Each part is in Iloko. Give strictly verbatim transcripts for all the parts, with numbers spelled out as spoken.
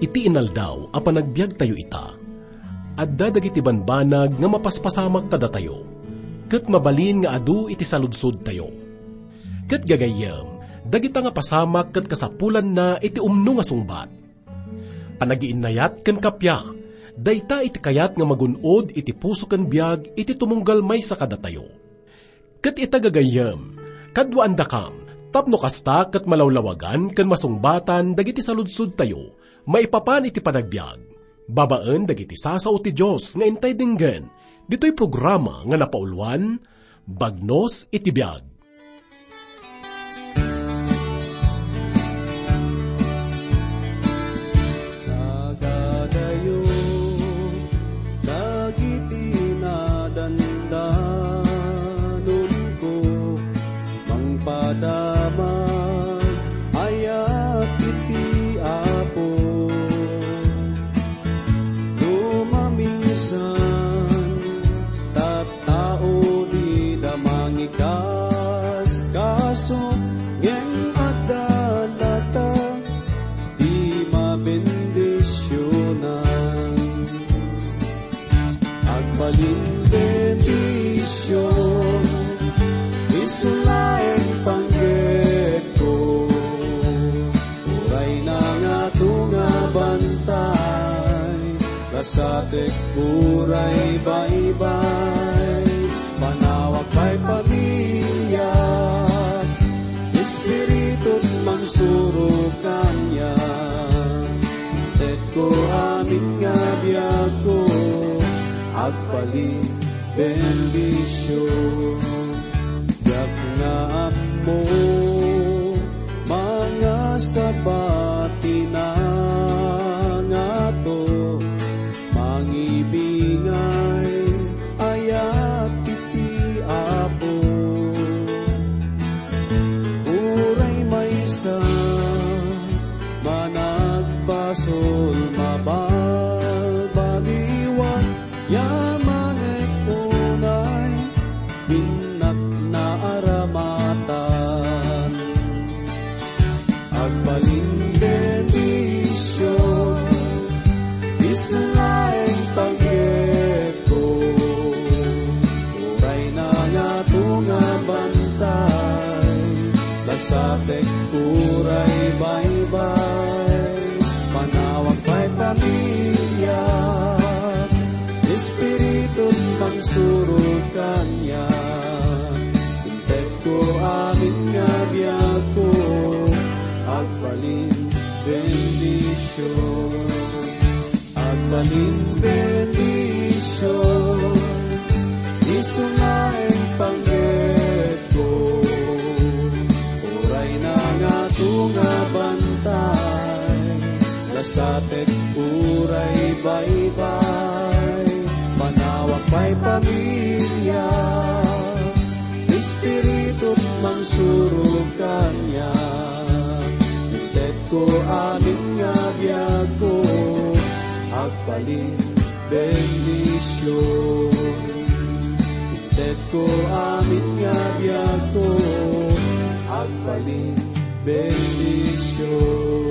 Ti inaldaw a panagbiagtayo ita, adda dagiti banbanag nga mapaspasamak kadatayo, ket mabalin nga adu iti saludsodtayo. Ket gagayyem, dagita nga pasamak ket kasapulanna iti umno nga sungbat. Panagiinnayat ken kappia, dayta iti kayat nga magun-od iti puso ken biag iti tumunggal maysa kadatayo. Ket ita gagayyem, kaduaandakam, tapno kasta ket malawlawagan ken masungbatan dagiti saludsodtayo maipapan iti panagbiag, babaen dagiti sasao ti Dios nga intay denggen, ditoy programa nga napauluan, Bagnos iti Biag. Nagadayo dagiti nadandanonko, mangpadama ayat iti Apo. No maminsan, tattao dida mangikaskaso, ngem adda latta ti mabendisionan. Agbalin bendision, isu laeng panggepko. Uray nangato nga bantay, lasatek uray baybay. Panawak pay pamilya, espiritu mangsurog kaniak. Intetko amin nga biagko, agbalin bendision. Diak nga ammo, mangasaba ti nangato, mangibingay ayat iti Apo. Uray maysa managbasol, mabalbaliwan, yamanek unay innak naaramatan. Agbalin bendision, isu laeng panggepko. Uray nangato nga bantay, lasatek uray baybay. Panawak pay pamilya, espiritu mangsurog kaniak. Intetko amin nga biagko, agbalin bendision. Agbalin bendision, isu laeng panggepko. Uray nangato nga bantay, lasatek uray baybay. Panawak pay pamilya, espiritu mangsurog kaniak. Intetko amin nga biagko, agbalin bendision. Intetko amin nga biagko, agbalin bendision.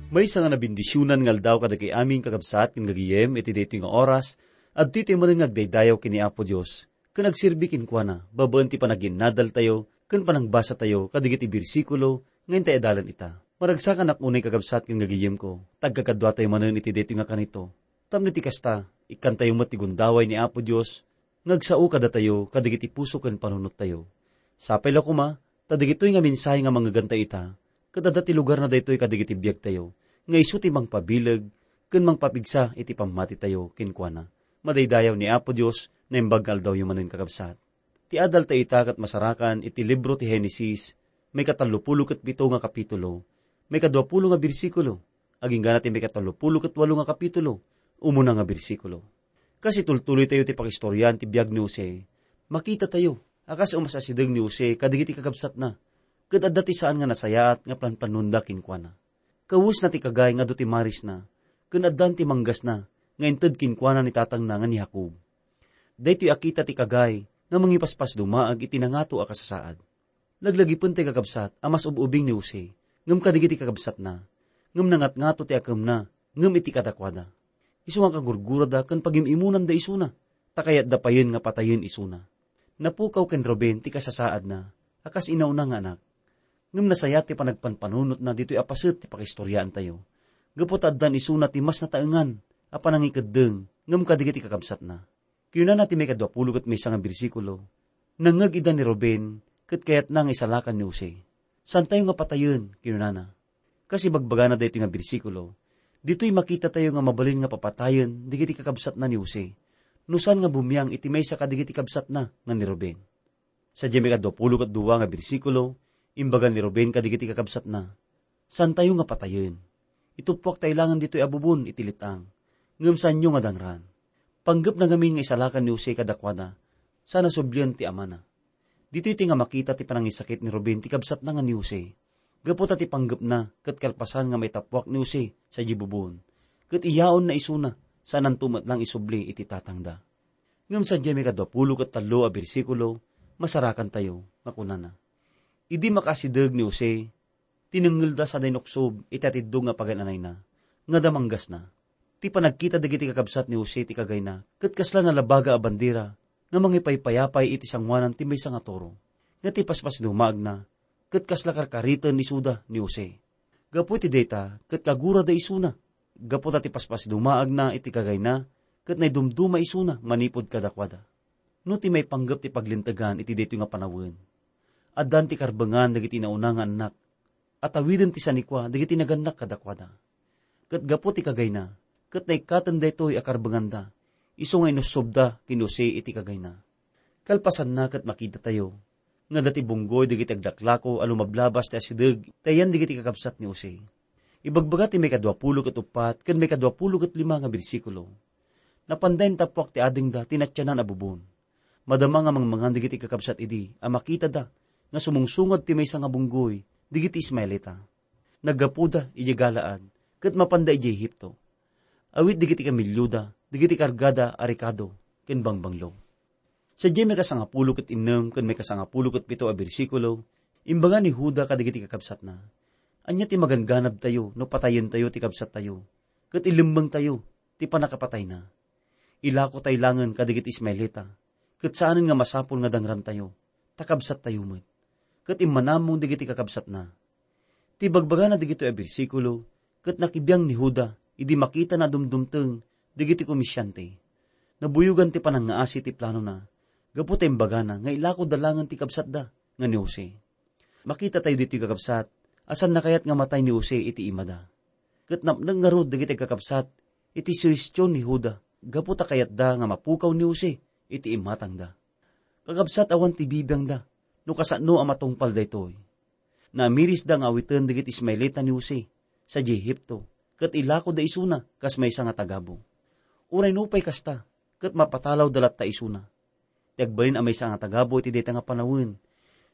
Maysa nga nabendisionan nga aldaw kadagiti amin, kakabsat ken gagayem, iti daytoy nga oras, adtoy tayo manen nga agdaydayaw ken ni Apo Dios, ken agserbi kenkuana, babaen ti panaginnadaltayo ken panangbasatayo kadagiti bersikulo nga intay adalan ita. Maragsakanak unay, kakabsat ken gagayemko, ta agkakaduatayo manen iti daytoy nga kanito. Tapno iti kasta, ikkantayo met ti gundaway ni Apo Dios, nga agsao kadatayo kadagiti puso ken panunottayo. Sapay la koma, ta dagitoy nga mensahe nga mangngegantay ita, ket adda ti lugarna daytoy kadagiti biagtayo, nga isu ti mangpabileg ken mangpapigsa iti pammatitayo kenkuana. Madaydayaw ni Apo Dios, naimbag nga aldawyo manen, kakabsat. Ti adalta ita ket masarakan iti libro ti Genesis, maikatallopulo ket pito nga kapitulo, maikaduapulo nga bersikulo, agingga ti maikatallopulo ket walo nga kapitulo, umuna nga bersikulo. Kas itultuloytayo ti pakistoriaan ti biag ni Jose, makitatayo a kas umas-asideg ni Jose kadagiti kakabsatna, ket adda ti saan nga nasayaat nga planplannonda kenkuana. Kawesna ti kagay nga adu ti marisna, ken addan ti manggasna nga inted kenkuana ni tatangna nga ni Jacob. Daytoy a kita ti kagay nga mangipaspasdumaag iti nangato a kasasaad. Laglagipen ti kakabsat a mas ub-ubing ni Jose, ngem kadagiti kakabsatna, ngem nangatngato ti akemna, ngem iti kadakuada. Isu nga kagurgurada ken pagim-imunanda isuna, ta kayatda payen nga patayen isuna. Napukaw ken Ruben ti kasasaadna, a kas inauna nga anak. Ngem nasayaat ti panagpanpanunotna ditoy a paset ti pakistoriaantayo, gapu ta addan isuna ti mas nataengan a panangikeddeng ngem kadagiti kakabsatna. Kinunana ti maikadua pulo ket maysa nga bersikulo, "Nangngeg ida ni Ruben, ket kayatna nga isalakan ni Jose. Saantayo nga patayen," kinunana. Kas ibagbagana daytoy nga bersikulo, ditoy makitatayo nga mabalin nga papatayen dagiti kakabsatna ni Jose, no saan nga bumiang iti maysa kadagiti kabsatna nga ni Ruben. Sadiay maikadua pulo ket dua nga bersikulo, imbaga ni Ruben kadagiti kakabsatna, "Saantayo nga patayen. Ituppuak ta ilangen ditoy a bubon iti let-ang, ngem saanyo nga dangran." Panggepna ngamin nga isalakan ni Jose kadakuada, sa nasublien ti amana. Ditoy ti nga makita ti panangisakit ni Ruben ti kabsatna nga ni Jose. Gapu ta ti panggepna ket kalpasan nga maitappuak ni Jose sadiay bubon, ket iyaonna isuna, saananto met lang isubli iti tatangda. Ngem sadiay maikadua pulo ket tallo a bersikulo, masarakantayo nga kunana, "Idi makaasideg ni Jose, tinengngelda sadiay nuksob iti atiddog nga pagan-anayna, nga damanggasna." Ti panagkita dagiti kakabsat ni Jose ti kagayna ket kasla nalabaga a bandera nga mangipaypayapay iti sangoanan ti maysa nga toro, nga ti paspasdumaagna ket kasla karkariten isuda ni Jose. Gapu iti dayta ket kagurada isuna, gapu ta ti paspasdumaagna iti kagayna ket naidumduma isuna manipud kadakuada. No ti maipanggep ti paglintegan iti daytoy nga panawen, addan ti karbengan dagiti nauna nga annak, a tawiden ti sanikua dagiti nagannak kadakuada. Ket gapu ti kagayna, ket naikkaten daytoy a karbenganda, isu nga inussobda ken ni Jose iti kagayna. Kalpasanna ket makitatayo nga adda ti bunggoy dagiti aglaklako a lumablabas ti asideg ti ayan dagiti kakabsat ni Jose. Ibagbaga ti maikadua pulo ket uppat ken maikadua pulo ket lima nga bersikulo, "Napanda intappuak ti adingda ti natianan a bubon. Madama nga mangmangan dagiti kakabsat idi a makitada nga sumungsungad ti maysa nga bunggoy dagiti Ismaelita. Naggapuda idiay Galaad ket mapanda idiay Egipto. Awit dagiti kamellioda, dagiti kargada a rekado ken bangbanglo." Sadiay maikasangapulo ket innem ken maikasangapulo ket pito a bersikulo, imbaga ni Juda kadagiti kakabsatna, "Ania ti maganganabtayo no patayentayo ti kabsattayo, ket ilemmengtayo ti pannakapatayna? Ilako tay langen kadagiti Ismaelita, ket saanen nga masapul nga dangrantayo, ta kabsattayo met." Ket immanamong dagiti kakabsatna. Ti bagbagana dagitoy a bersikulo, ket nakibiang ni Juda idi makitana a dumdumteng dagiti komersiante. Nabuyogan ti panangngaasi ti planona, gapu ta imbagana nga ilako da langen ti kabsatda nga ni Jose. Makitatayo ditoy, kakabsat, a saanna kayat nga matay ni Jose iti imada. Ket napnek ngarud dagiti kakabsat iti suhestion ni Juda gapu ta kayatda nga mapukaw ni Jose iti imatangda. Kakabsat, awan ti bibiangda no kasano a matungpal daytoy. Naamirisda nga awiten dagiti Ismaelita ni Jose sadiay Egipto, ket ilakoda isuna kas maysa nga tagabu. Uray nupay kasta, ket mapatalawda latta isuna. Ti agbalin a maysa nga tagabu iti dayta nga panawen,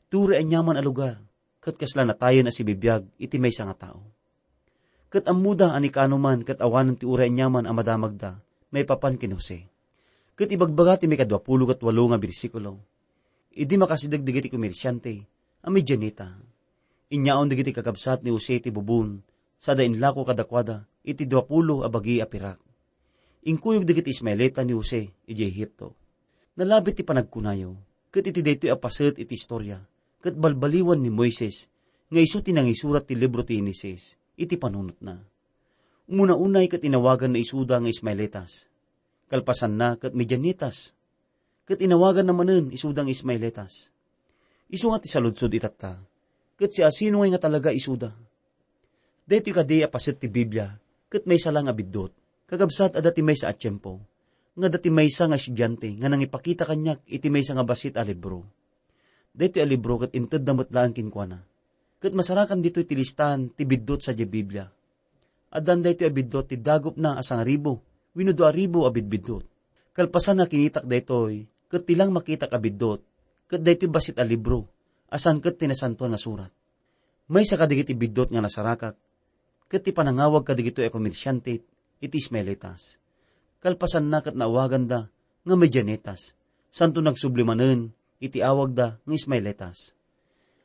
ti uray aniaman a lugar, ket kasla natayen a sibibiag iti maysa nga tao. Ket ammoda a ni kaano man ket awanen ti uray aniaman a madamagda maipapan ken Jose. Ket ibagbaga ti maikadua pulo ket walo nga bersikulo, idi makasideg dagiti komersiante a Midianita, inyaon dagiti kakabsat ni Jose ti bubon, sada inlako kadakuada iti dua pulo a bagi a pirak. Inkuyog dagiti Ismaelita ni Jose idiay Egipto. Nalabit ti panagkunayo, ket iti daytoy a paset iti istoria, ket balbaliwan ni Moises nga isu ti nangisurat ti libro ti Genesis iti panunotna. Umuna unay ket inawaganna isuda nga Ismaelitas. Kalpasanna ket Midianitas. Ket inawaganna manen isuda nga Ismaelitas. Isu nga ti saludsod itatta, ket siasino ngay nga talaga isuda? Daytoy kadi a paset ti Biblia ket maysa la nga biddut. Kakabsat, adda ti maysa a tiempo nga adda ti maysa nga estudiante nga nangipakita kaniak iti maysa nga bassit a libro. Daytoy a libro ket intedda met laeng kenkuana. Ket masarakan ditoy ti listaan ti biddut sadiay Biblia. Addan daytoy a biddut ti dagupna a sangaribu wenno dua ribu a bidbiddut. Kalpasan nga kinitak daytoy, ket ti lang makitak a biddut, ket daytoy bassit a libro a saan ket ti Nasantoan nga Surat. Maysa kadagiti biddut nga nasarakak, ket ti panangawag kadagitoy a komersiante iti Ismaelitas. Kalpasanna ket naawaganda nga Midianitas, santo nagsubli manen iti awagda nga Ismaelitas.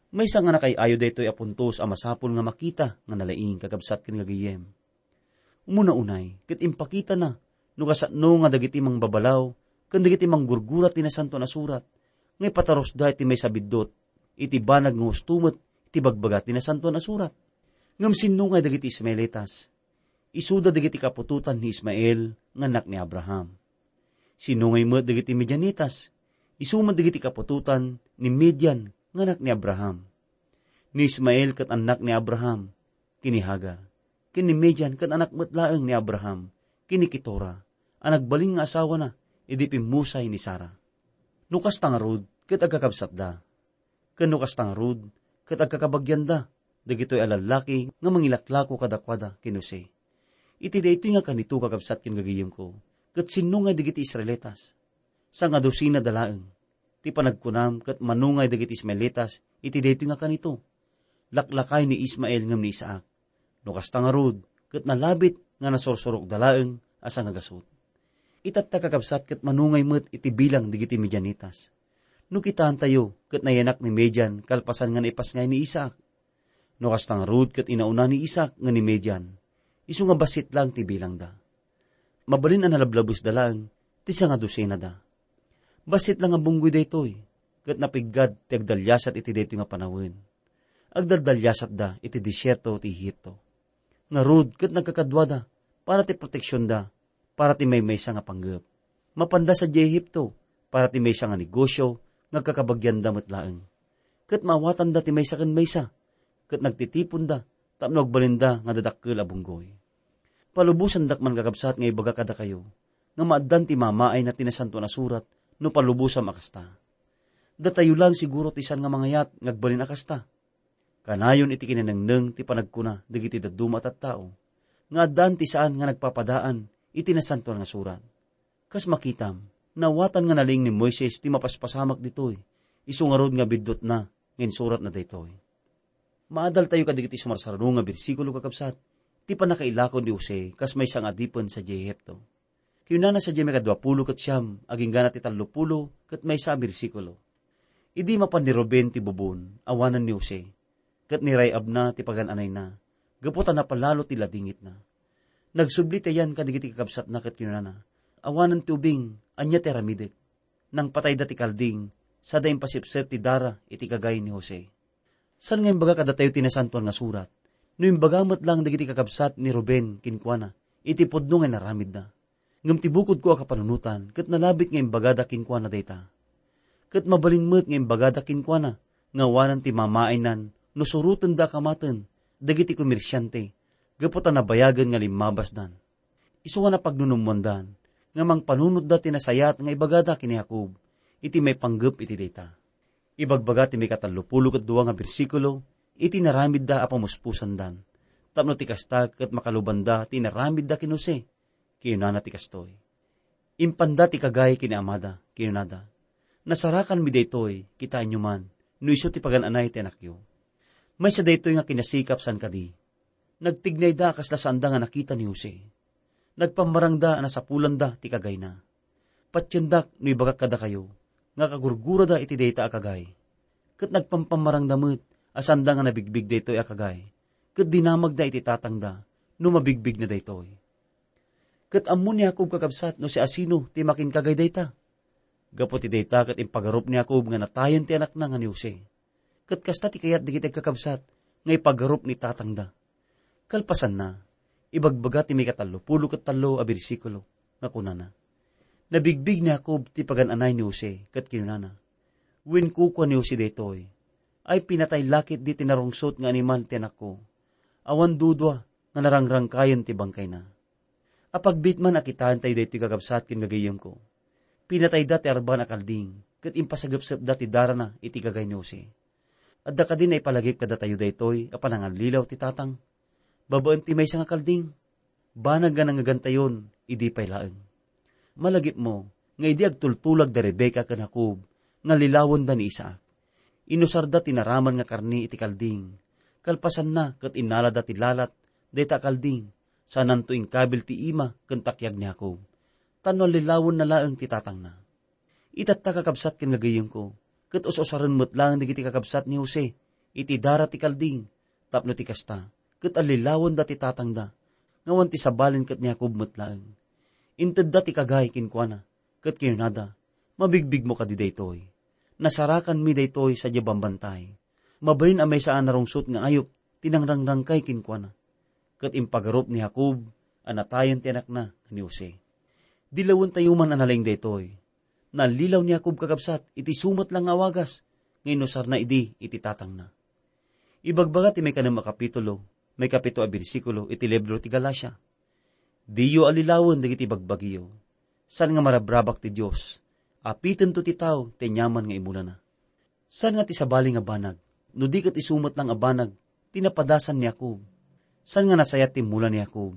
Maysa nga nakay-ayo daytoy a puntos a masapul nga makita nga nalaing, kakabsat ken gagayyem. Umuna unay, ket impakitana no kasano nga dagiti mangbabalaw ken dagiti manggurgura ti Nasantoan a Surat nga ipatarusda iti maysa biddut iti banag nga husto met ti bagbaga ti Nasantoan a Surat. Ngem sinno ngay dagiti Ismaelitas? Isuda dagiti kaputotan ni Ismael nga anak ni Abraham. Sinno ngay met dagiti Midianitas? Isu met dagiti kaputotan ni Midian nga anak ni Abraham. Ni Ismael ket annak ni Abraham ken ni Hagar, ken ni Midian ket anak met laeng ni Abraham ken ni Ketura a nagbalin nga asawana idi pimmusay ni Sara. No kasta ngarud ket agkakabsatda, ken no kasta ngarud ket agkakabagianda dagitoy a lallaki nga mangilaklako kadakuada ken Jose. Iti daytoy nga kanito, kakabsat ken gagayyemko, ket sinno ngay dagiti Israelitas? Sangadosinada laeng. Ti panagkunam ket mano ngay dagiti Ismaelitas iti daytoy nga kanito? Laklakay ni Ismael ngem ni Isaac. No kasta ngarud, ket nalabit nga nasursurokda laeng a sangagasut. Itatta, kakabsat, ket mano ngay met iti bilang dagiti Midianitas? No kitaentayo, ket nayanak ni Midian kalpasan nga naipasngay ni Isaac. No kasta ngarud, ket inauna ni Isaac nga ni Midian, isu nga bassit laeng ti bilangda. Mabalin a nalablabesda laeng ti sangadosinada. Bassit la nga bunggoy daytoy, ket napiggad ti agdaliasat iti daytoy nga panawen. Agdaldaliasatda iti desierto ti Egipto. Ngarud, ket nagkakaduada para ti proteksionda, para ti maymaysa nga panggep. Mapanda sadiay Egipto para ti maysa nga negosio nga agkakabagianda met laeng. Ket maawatanda ti maysa ken maysa, ket nagtitiponda tapno agbalinda nga dadakkel a bunggoy. Palubosandak man, kakabsat, nga ibaga kadakayo nga maaddan ti mamaayna ti Nasantoan a Surat no palubosam a kasta. Datayo laeng siguro ti saan nga mangayat nga agbalin a kasta. Kanayon iti kinanengneng ti panagkuna dagiti dadduma a tattao nga addaan ti saan nga nagpapadaan iti Nasantoan nga Surat. Kas makitam, naawatan nga nalaing ni Moises ti mapaspasamak ditoy, isu ngarud nga biddutna nga insuratna daytoy. Maadaltayo kadagiti sumarsarno nga bersikulo, kakabsat, ti pannakailako ni Jose kas maysa nga adipen sadiay Egipto. Kinunana sadiay maikadua pulo ket siam, agingga na ti tallo pulo ket maysa a bersikulo: Idi mapan ni Ruben ti bubon, awanen ni Jose, ket ni Ray-abna ti pagan-anayna, gapu ta napalalo ti ladingitna. Nagsubli ti ayan kadagiti kakabsatna ket kinunana, "Awanen ti ubing, ania ti aramidek?" Nangpatayda ti kalding, sada impasipsep ti dara iti kagay ni Jose. Saan nga imbaga kadatayo ti Nasantoan nga Surat, no imbaga met laeng dagiti kakabsat ni Ruben kenkuana iti pudno nga inaramidda. Ngem ti bukodko a kapanunotan ket nalabit nga imbagada kenkuana dayta. Ket mabalin met nga imbagada kenkuana nga awanen ti mamaaynan no surotenda a kamaten dagiti komersiante gapu ta nabayagen nga limmabasdan. Isu nga napagnunummoandan nga mangpanunotda ti nasayaat nga ibagada ken ni Jacob iti maipanggep iti dayta. Ibagbaga ti maikatallopulo ket dua nga bersikulo iti naramidda a pamuspusandan, tapno ti kasta ket makalubanda ti inaramidda ken Jose. Kinunana ti kastoy: "Impanda ti kagay ken ni amada," kinunada. "Nasarakanmi daytoy, kitaenyo man, no isu ti pagan-anay ti anakyo." Maysa daytoy nga kinasikap saan kadi. Nagtignayda a kasla saanda nga nakita ni Jose. Nagpammarangda a nasapulanda ti kagayna. Patiendak no ibagak kadakayo nga kagurgurada iti dayta a kagay. Ket nagpampammarangda met a saanda nga nabigbig daytoy a kagay, ket dinamagda iti tatangda no mabigbigna daytoy. Ket ammo ni Jacob, kakabsat, no siasino ti makinkagay dayta. Gapu ti dayta ket impagarup ni Jacob nga natayen ti anakna nga ni Jose. Ket kasta ti kayat dagiti agkakabsat nga ipagarup ni tatangda. Kalpasanna, ibagbaga ti maikatallopulo ket tallo a bersikulo nga kunana: "Nabigbig ni Jacob ti pagan-anay ni Jose ket kinunana, 'Wen kukua ni Jose daytoy, ay pinatay la ketdi ti narungsot nga animal ti anakko. Awan dudua nga narangrangkayen ti bangkayna.'" Apagbit man a kitaentayo daytoy, kakabsat ken gagayyemko. Pinatayda ti arban a kalding ket impasagepsepda ti darana iti kagay ni Jose. Adda kadi naipalagip kadatayo daytoy a panangallilaw ti tatang babaen ti maysa nga kalding? Banag nga nangngegantayon idi pay laeng. Malagipmo nga idi agtultulag da Rebecca ken Jacob nga lilawenda ni Isaac, inusarda ti naraman nga karne iti kalding. Kalpasanna ket innalada ti lalat dayta a kalding, sananto inkabil ti ima ken takiag ni Jacob, tapno allilawenna laeng ti tatangna. Itatta, kakabsat ken gagayyemko, ket us-usaren met laeng dagiti kakabsat ni Jose iti dara ti kalding, tapno ti kasta, ket allilawenda ti tatangda, nga awan ti sabali ket ni Jacob met laeng. Intedda ti kagay kenkuana, ket kinunada, "Mabigbigmo kadi daytoy? Nasarakanmi daytoy sadiay bambantay. Mabalin a maysa a narungsot nga ayup ti nangrangkay kenkuana." Ket impagarup ni Jacob a natayen ti anakna nga ni Jose. Dilawentayo man a nalaing daytoy. Nallilaw ni Jacob, kakabsat, iti isu met laeng nga awagas nga inusarna idi iti tatangna. Ibagbaga ti maikanem a kapitulo, maikapito a bersikulo iti libro ti Galacia, "Diyo allilawen dagiti bagbagiyo. Saan nga marabrabak ti Dios. Apitento ti tao ti aniaman nga imulana." Saan nga ti sabali nga banag, no di ket isu met laeng a banag ti napadasan ni Jacob? Saan nga nasayat ti immula ni Jacob?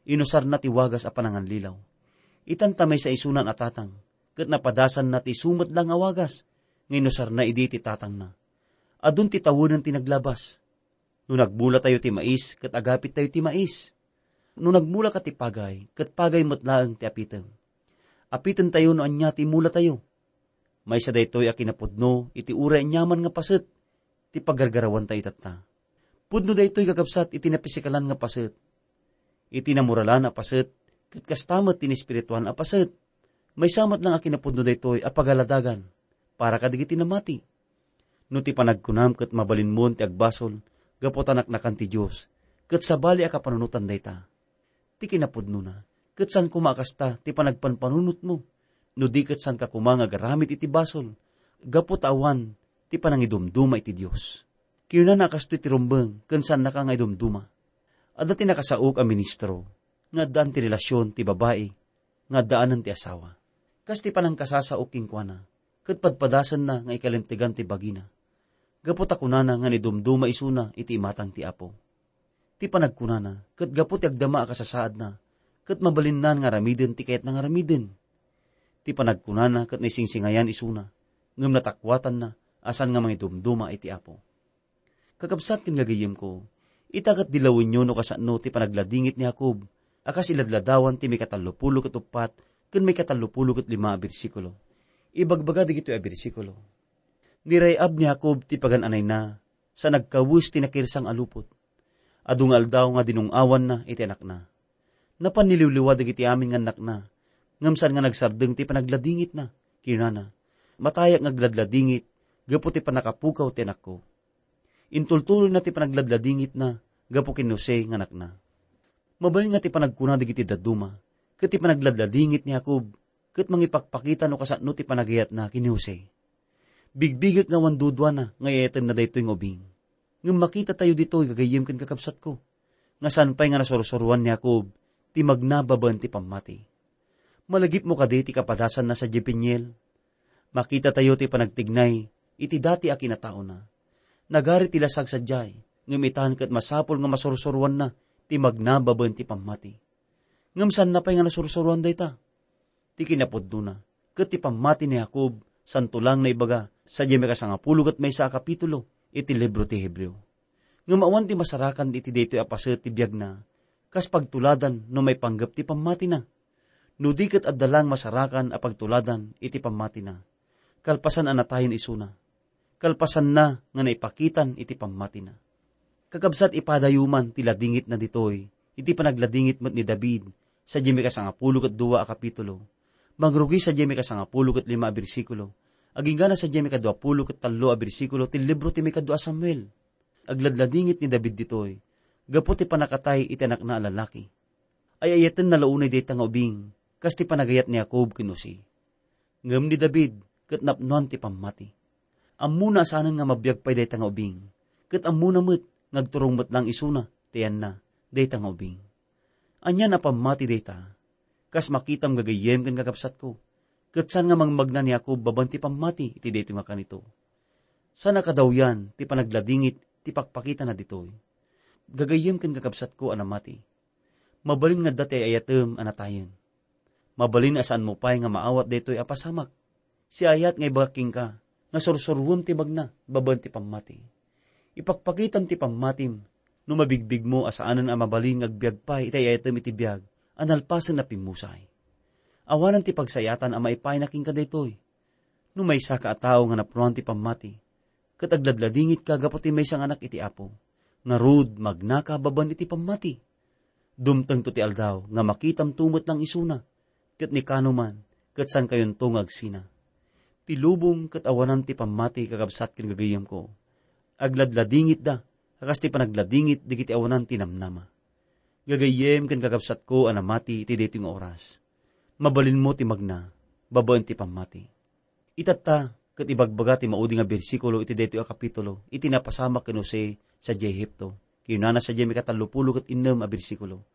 Inusarna ti wagas a panangallilaw. Itan ta maysa isuna a tatang, ket napadasanna ti isu met laeng a wagas nga inusarna idi iti tatangna. Adun ti tawenen ti naglabas. No nagmulatayo ti mais, ket agapittayo ti mais. No nagmulaka ti pagay, ket pagay met laeng ti apitem. Apitentayo no ania ti imulatayo. Maysa daytoy a kinapudno iti uray aniaman nga paset ti pagargarawantayo tatta. Pudno daytoy, kakabsat, iti napisikalan nga paset, iti namoralan a paset, ket kasta met ti naespirituan a paset. Maysa met laeng a kinapudno daytoy a pagaladagan para kadagiti namati. No ti panagkunam ket mabalinmon ti agbasol gapu ta naknakan ti Dios, ket sabali a kapanunotan dayta. Ti kinapudnona, ket saan koma a kasta ti panagpanpanunotmo, no di ket saanka koma nga agaramid iti basol, gapu ta awan ti panangidumduma iti Dios. Kinunana a kastoy ti rumbeng ken saannaka nga idumduma. Adda ti nakasaok a ministro nga addaan ti relasion ti babai nga addaanan ti asawa. Kas ti panangkasasaok kenkuana, ket padpadasenna nga ikalintegan ti bagina, gapu ta kunana nga naidumduma isuna iti imatang ti Apo. Ti panagkunana ket gapu ti agdama a kasasaadna, ket mabalinnan nga aramiden ti kayatna nga aramiden. Ti panagkunana ket naisingsingayan isuna, ngem natakuatanna a saan nga mangidumduma iti Apo. Kakabsat ken gagayyemko, ita ket dilawenyo no kasano ti panagladingit ni Jacob a kas iladladawan ti maikatallopulo ket uppat ken maikatallopulo ket lima a bersikulo. Ibagbaga dagitoy a bersikulo, "Niray-ab ni Jacob ti pagan-anayna sa nagkawes ti nakirsang a lupot. Adu nga aldaw nga dinung-awanna iti anakna. Napan niliwliwa dagiti amin nga annakna, ngem saan nga nagsardeng ti panagladingitna. Kinunana, 'Matayak nga agladladingit gapu ti pannakapukaw ti anakko.'" Intultuloyna ti panagladladingitna gapu ken Jose nga anakna. Mabalin nga ti panagkuna dagiti dadduma, ket ti panagladladingit ni Jacob, ket mangipakpakita no kasano ti panagayatna ken ni Jose. Bigbigek nga awan duduana nga ay-ayatenna daytoy nga ubing. Ngem makitatayo ditoy, gagayyem ken kakabsatko, nga saan pay nga nasursuroan ni Jacob ti magna babaen ti pammati. Malagipmo kadi ti kapadasanna sadiay Peniel? Makitatayo ti panagtignay iti dati a kinataona. Nagari ti lasag sadiay, ngem itan ket masapul nga masursuroanna ti magna babaen ti pammati. Ngem saanna pay nga nasursuroan dayta? Ti kinapudnona, ket ti pammati ni Jacob, santo laeng naibaga sadiay maikasangapulo ket maysa a kapitulo iti libro ti Hebreo. Ngem awan ti masarakan iti daytoy a paset ti biagna, kas pagtuladan no maipanggep ti pammatina. No di ket adda laeng masarakan a pagtuladan iti pammatina, kalpasan a natayen isuna, kalpasanna nga naipakitan iti pammatina. Kakabsat, ipadayo man ti ladingitna ditoy iti panagladingit met ni David sadiay maikasangapulo ket dua a kapitulo. Mangrugi sadiay maikasangapulo ket lima a bersikulo, agingga na sadiay maikaduapulo ket tallo a bersikulo ti libro ti maikadua a Samuel. Agladladingit ni David ditoy gapu ti pannakatay iti anakna a lalaki. Ay-ayatenna la unay dayta nga ubing, kas ti panagayat ni Jacob ken Jose. Ngem ni David ket napnoan ti pammati. Ammona a saanen nga mabiag pay dayta nga ubing, ket ammona met nga agturong met laeng isuna ti ayanna dayta nga ubing. Ania a pammati dayta? Kas makitam, gagayyem ken kakabsatko, ket saan nga mangmagna ni Jacob babaen ti pammati iti daytoy nga kanito. Saan a kadawyan ti panagladingit ti pakpakitana ditoy. Gagayyem ken kakabsatko a namati. Mabalin nga adda ti ay-ayatem a natayen. Mabalin a saanmo pay nga maawat daytoy a pasamak. Siayat nga ibagak kenka nga sursuroem ti magna babaen ti pammati. Ipakpakitam ti pammatim no mabigbigmo a saanen a mabalin nga agbiag pay iti ay-ayatem iti biag a nalpasen a pimmusay. Awanen ti pagsayaatan a maipaayna kenka daytoy. No maysaka a tao nga napnoan ti pammati, ket agladladingitka gapu ti maysa nga anak iti Apo. Ngarud, magnaka babaen iti pammati. Dumtengto ti aldaw nga makitamto met lang isuna, ket ni kano man, ket saankayonto nga agsina. Ti lubong ket awanan ti pammati, kakabsat ken gagayyemko. Agladladingitda, a kas ti panagladingit dagiti awanan ti namnama. Gagayyem ken kakabsatko a namati iti daytoy nga oras. Mabalinmo ti magna, babaen ti pammati. Itatta, ket ibagbaga ti maudi nga bersikulo iti daytoy a kapitulo, iti napasamak ken Jose sadiay Egipto. Kinunana sadiay mikatallopulo ket innem a bersikulo,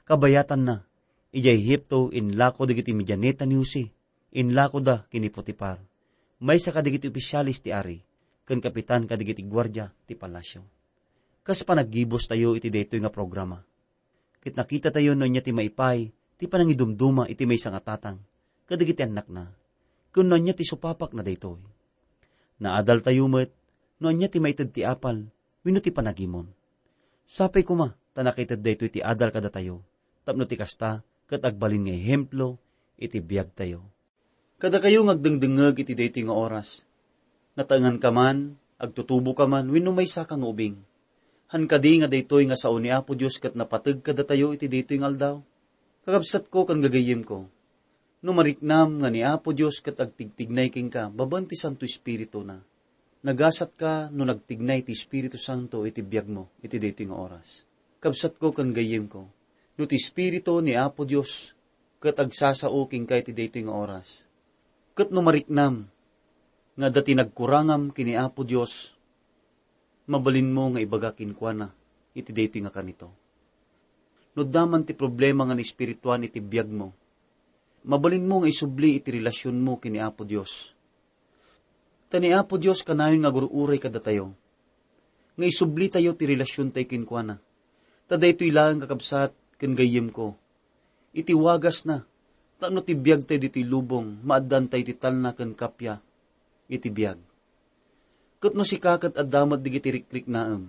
"Kabayatanna, idiay Egipto, inlako dagiti Midianita ni Jose. Inlakoda ken ni Potifar, maysa kadagiti ofisiales ti ari, ken kapitan kadagiti guardia ti palasio." Kas panaggibustayo iti daytoy nga programa, ket nakitatayo no ania ti maipay ti panangidumduma iti maysa nga tatang kadagiti annakna, ken no ania ti supapakna daytoy. Naadaltayo met no ania ti maited ti apal wenno ti panagimon. Sapay koma ta nakaited daytoy ti adal kadatayo, tapno ti kasta ket agbalin nga ehemplo iti biagtayo. Kadakayo nga agdengdengngeg iti daytoy nga oras, nataenganka man, agtutuboka man, wenno maysaka nga ubing. Han kadi nga daytoy nga sao ni Apo Dios ket napateg kadatayo iti daytoy nga aldaw? Kakabsatko ken gagayyemko, no mariknam nga ni Apo Dios ket agtigtignay kenka babaen ti Santo Espirituna, nagasatka no nagtignay ti Espiritu Santo iti biagmo iti daytoy nga oras. Kabsatko ken gayyemko, no ti Espiritu ni Apo Dios ket agsasao kenka iti daytoy nga oras, ket no mariknam nga adda ti nagkurangam ken ni Apo Dios, mabalinmo nga ibaga kenkuana iti daytoy nga kanito. No adda man ti problema nga naespirituan iti biagmo, mabalinmo nga isubli iti relasionmo ken ni Apo Dios. Ta ni Apo Dios kanayon nga agur-uray kadatayo, nga isublitayo ti relasiontayo kenkuana. Ta daytoy laeng, kakabsat ken gayyemko, iti wagasna, tapno ti biagtayo ditoy lubong, maaddaantayo ti talna ken kappia iti biag. Ket no sika ket adda met dagiti rikriknaem,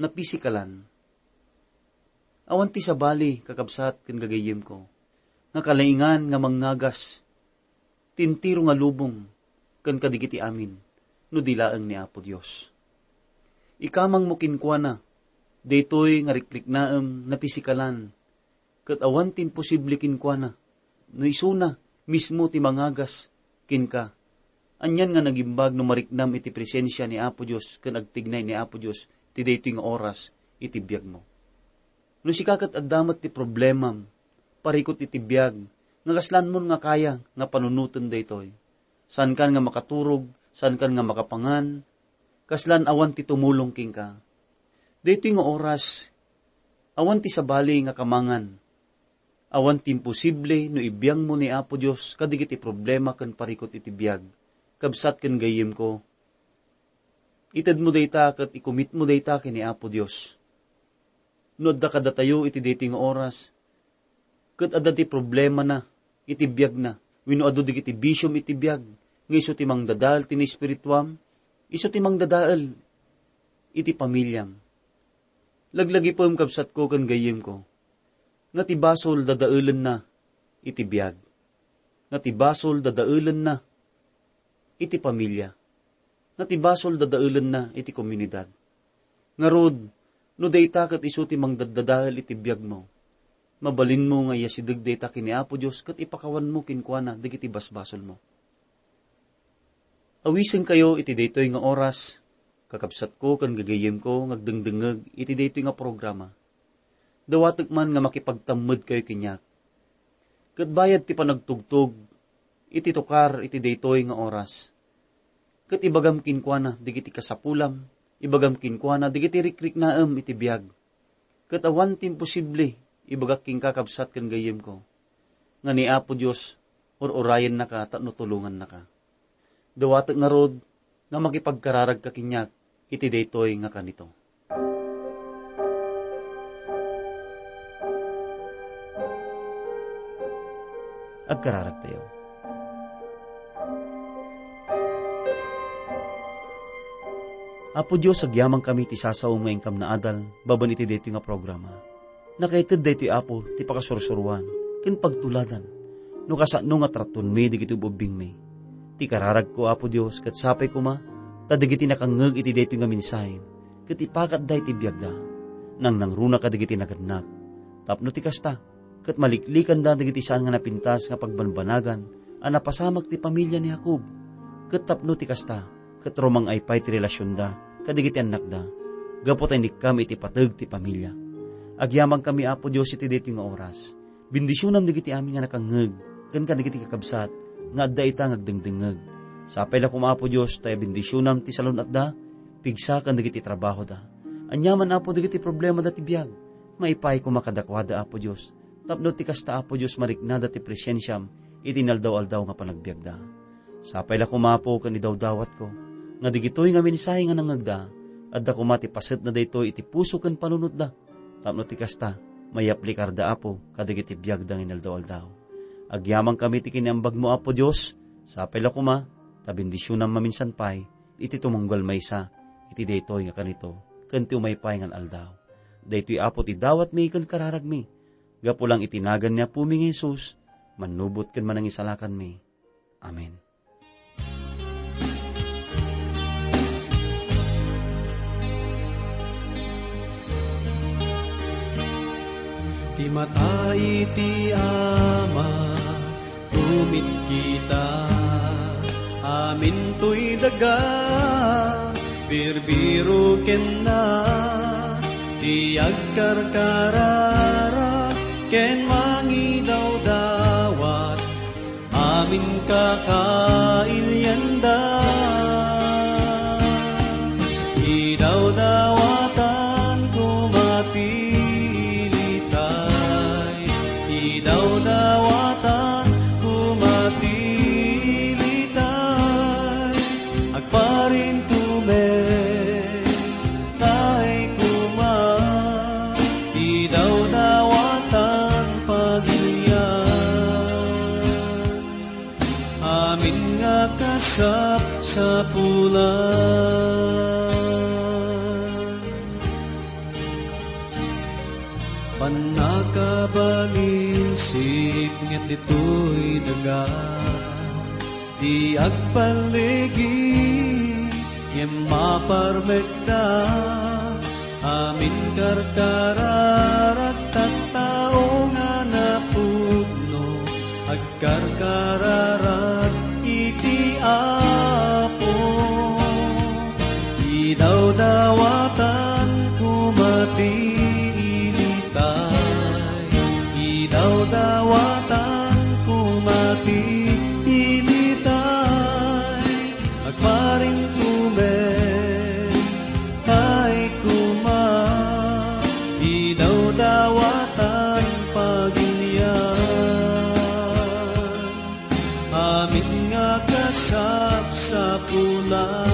napisikalan, awan ti sabali, kakabsat ken gagayyemko, nga kalaingan nga mangngagas ti entero nga lubong ken kadagiti amin no di laeng ni Apo Dios. Ikamangmo kenkuana daytoy nga rikriknaem napisikalan, ket awan ti imposible kenkuana no isuna mismo ti mangagas kenka. Anian nga nagimbag no mariknam iti presensia ni Apo Dios ken agtignay ni Apo Dios ti daytoy nga oras iti biagmo. No sika ket adda met ti problemam, parikut iti biag, nga kaslanmon nga kaya nga panunoten daytoy. Saankan nga makaturog, saankan nga makapangan, kaslan awan ti tumulong kenka. Daytoy nga oras, awan ti sabali nga kamangan. Awan ti imposible no ibiangmo ni Apo Dios kadagiti problema ken parikut iti biag. Kabsat ken gayyemko, itedmo dayta ket ikumitmo dayta ken ni Apo Dios. No adda kadatayo iti daytoy nga oras, ket adda ti problemana iti biagna, wenno adu dagiti bisiom iti biag, nga isu ti mangdadael ti naespirituam, isu ti mangdadael iti pamiliam. Laglagipem, kabsatko ken gayyemko, nga ti basol dadaelenna iti biag, nga ti basol dadaelenna iti pamilia, nga ti basol dadaelenna iti komunidad. Ngarud, no dayta ket isu ti mangdaddadael iti biagmo, mabalinmo nga iyasideg dayta ken ni Apo Dios ket ipakawanmo kenkuana dagiti basbasolmo. Awisenkayo iti daytoy nga oras, kakabsatko ken gagayyemko nga agdengdengngeg iti daytoy nga programa. Dawatek man nga makipagtammedkayo kaniak. Ket bayad ti panagtugtog iti tukar iti daytoy nga oras, ket ibagam kenkuana dagiti kasapulam, ibagam kenkuana dagiti rikriknaem iti biag. Ket awan ti imposible, ibagak kenka, kabsat ken gayyemko, nga ni Apo Dios ur-urayennaka tapno tulongannaka. Dawatek ngarud nga makipagkararagka kaniak iti daytoy nga kanito. Agkararagtayo. Apo Dios, agyamankami ti sasaom nga inkam naadal babaen iti daytoy nga programa. Nakaited daytoy, Apo, ti pakasursuroan ken pagtuladan no kasano nga tratonmi dagiti ub-ubbingmi. Ti kararagko, Apo Dios, ket sapay koma ta dagiti nakangngeg iti daytoy nga mensahe, ket ipakatda iti biagda. Nangnangruna kadagiti nagannak, tapno ti kasta, ket maliklikanda dagiti saan nga napintas nga pagbanbanagan a napasamak ti pamilia ni Jacob, ket tapno ti kasta, ket rumang-ay pay ti relasionda kadagiti annakda, gapu ta inikkam iti pateg ti pamilia. Agyamankami, Apo Dios, iti daytoy nga oras. Bendisionam dagiti amin nga nakangngeg, ken kadagiti kakabsat nga adda ita nga agdengdengngeg. Sapay la koma, Apo Dios, ta ibendisionam ti salun-atda, pigsa ken dagiti trabahoda. Aniaman, Apo, dagiti problemada ti biag, maipaay koma kadakuada, Apo Dios. Tapno ti kasta, Apo Dios, mariknada ti presensiam iti inaldaw-aldaw nga panagbiagda. Sapay la koma, Apo, ken idawdawatko nga dagitoy nga mensahe nga nangngegda, adda koma ti pasetna daytoy iti puso ken panunotda, tapno ti kasta, mayaplikarda, Apo, kadagiti biagda nga inaldaw-aldaw. Agyamankami ti kiniambagmo, Apo Dios, sapay la koma, ta bendisionam maminsan pay iti tumunggal maysa iti daytoy nga kanito ken ti umay pay nga aldaw. Daytoy, Apo, ti dawatmi ken kararagmi, gapu lang iti nagan ni Apomi nga Jesus, mannubot ken manangisalakanmi. Amen. Ti mata iti Ama, tumitkita, amin toy daga, birbiro kenna, ti agkarkararag ken mangidawdawat, amin kakailianda. Idawdawatan koma ti ilitay, idawdawatan koma ti ilitay, agparintumen tay koma, idawdawatan pagilian, amin nga kasapsapulan. Pannakabalin siknget ditoy daga, ti agpalligi ngem maparmekda, amin karkararag tattao nga napudno, agkarkararag iti Apo. Idawdawatan koma ti ilitay, idawdawatan koma ti ilitay, agparintumen tay koma, idawdawatan pagilian, amin nga kasapsapulan.